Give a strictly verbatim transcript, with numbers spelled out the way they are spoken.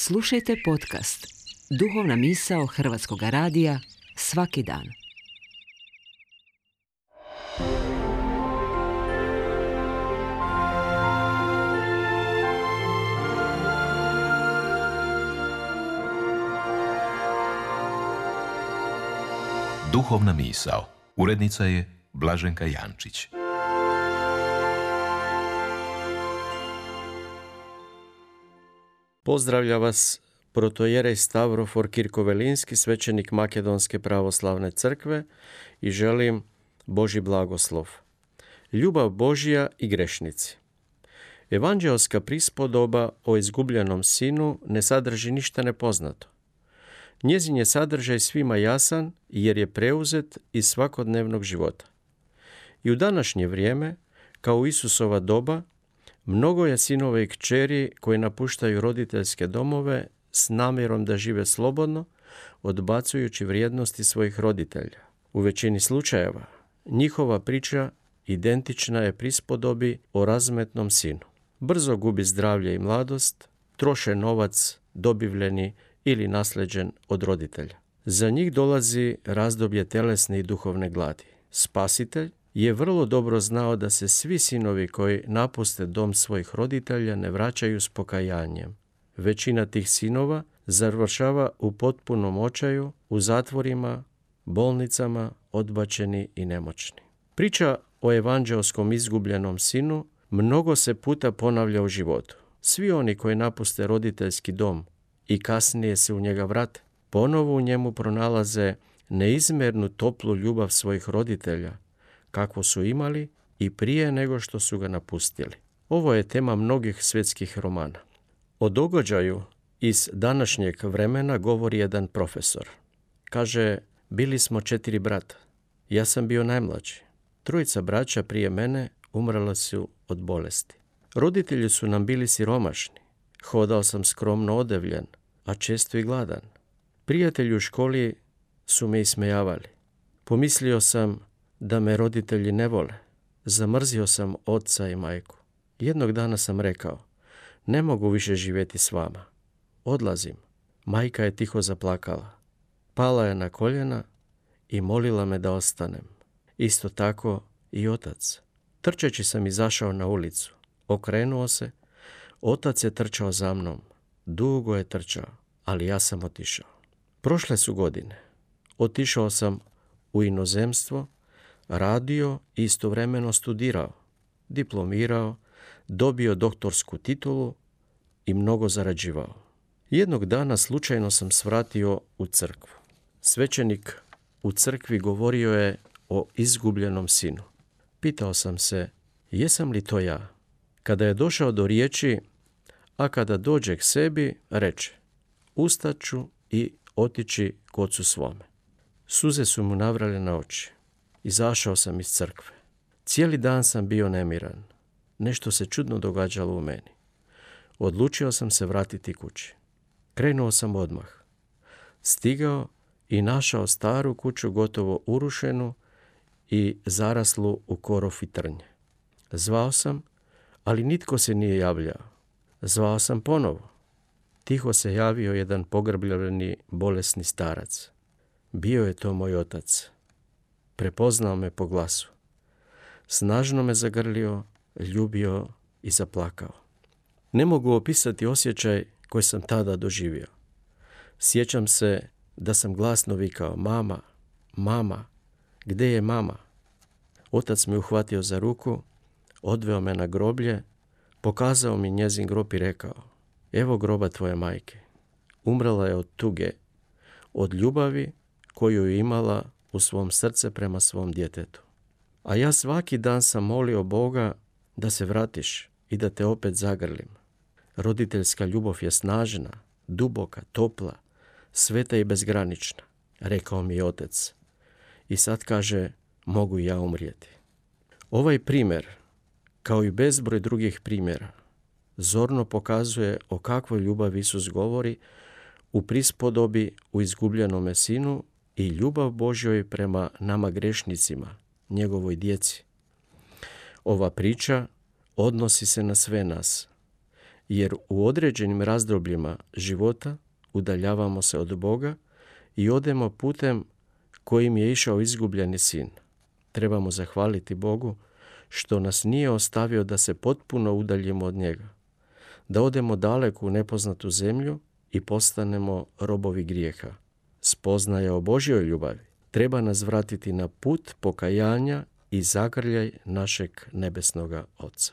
Slušajte podcast Duhovna misao Hrvatskog radija svaki dan. Duhovna misao. Urednica je Blaženka Jančić. Pozdravlja vas protojerej Stavrofor Kirkovelinski, svećenik Makedonske pravoslavne crkve, i želim Božji blagoslov. Ljubav Božja i grešnici. Evanđeoska prispodoba o izgubljenom sinu ne sadrži ništa nepoznato. Njezin je sadržaj svima jasan jer je preuzet iz svakodnevnog života. I u današnje vrijeme, kao u Isusova doba, mnogo je sinova i kćeri koji napuštaju roditeljske domove s namjerom da žive slobodno, odbacujući vrijednosti svojih roditelja. U većini slučajeva njihova priča identična je prispodobi o razmetnom sinu. Brzo gubi zdravlje i mladost, troše novac dobivljeni ili naslijeđen od roditelja. Za njih dolazi razdoblje telesne i duhovne gladi. Spasitelj je vrlo dobro znao da se svi sinovi koji napuste dom svojih roditelja ne vraćaju s pokajanjem. Većina tih sinova završava u potpunom očaju, u zatvorima, bolnicama, odbačeni i nemoćni. Priča o evanđeoskom izgubljenom sinu mnogo se puta ponavlja u životu. Svi oni koji napuste roditeljski dom i kasnije se u njega vrate, ponovo u njemu pronalaze neizmjernu toplu ljubav svojih roditelja, kakvu su imali i prije nego što su ga napustili. Ovo je tema mnogih svjetskih romana. O događaju iz današnjeg vremena govori jedan profesor. Kaže, bili smo četiri brata. Ja sam bio najmlađi. Trojica braća prije mene umrla su od bolesti. Roditelji su nam bili siromašni. Hodao sam skromno odevljen, a često i gladan. Prijatelji u školi su me ismejavali. Pomislio sam da me roditelji ne vole. Zamrzio sam oca i majku. Jednog dana sam rekao, ne mogu više živjeti s vama. Odlazim. Majka je tiho zaplakala. Pala je na koljena i molila me da ostanem. Isto tako i otac. Trčeći sam izašao na ulicu. Okrenuo se. Otac je trčao za mnom. Dugo je trčao, ali ja sam otišao. Prošle su godine. Otišao sam u inozemstvo, radio i istovremeno studirao, diplomirao, dobio doktorsku titulu i mnogo zarađivao. Jednog dana slučajno sam svratio u crkvu. Svećenik u crkvi govorio je o izgubljenom sinu. Pitao sam se, jesam li to ja? Kada je došao do riječi, a kada dođe k sebi, reče, ustaću i otići k ocu svome. Suze su mu navrale na oči. Izašao sam iz crkve. Cijeli dan sam bio nemiran. Nešto se čudno događalo u meni. Odlučio sam se vratiti kući. Krenuo sam odmah. Stigao i našao staru kuću gotovo urušenu i zaraslu u korov i trnje. Zvao sam, ali nitko se nije javljao. Zvao sam ponovo. Tiho se javio jedan pogrbljeni bolesni starac. Bio je to moj otac. Prepoznao me po glasu. Snažno me zagrlio, ljubio i zaplakao. Ne mogu opisati osjećaj koji sam tada doživio. Sjećam se da sam glasno vikao, mama, mama, gdje je mama? Otac me uhvatio za ruku, odveo me na groblje, pokazao mi njezin grob i rekao, evo groba tvoje majke. Umrla je od tuge, od ljubavi koju je imala u svom srce prema svom djetetu. A ja svaki dan sam molio Boga da se vratiš i da te opet zagrlim. Roditeljska ljubav je snažna, duboka, topla, sveta i bezgranična, rekao mi je otac. I sad kaže, mogu i ja umrijeti. Ovaj primjer, kao i bezbroj drugih primjera, zorno pokazuje o kakvoj ljubavi Isus govori u prispodobi u izgubljenome sinu i ljubav Božjoj prema nama grešnicima, njegovoj djeci. Ova priča odnosi se na sve nas. jer u određenim razdobljima života udaljavamo se od Boga i odemo putem kojim je išao izgubljeni sin. Trebamo zahvaliti Bogu što nas nije ostavio da se potpuno udaljimo od njega, da odemo daleko u nepoznatu zemlju i postanemo robovi grijeha. Spoznaja o Božjoj ljubavi treba nas vratiti na put pokajanja i zagrljaj našeg nebesnoga Oca.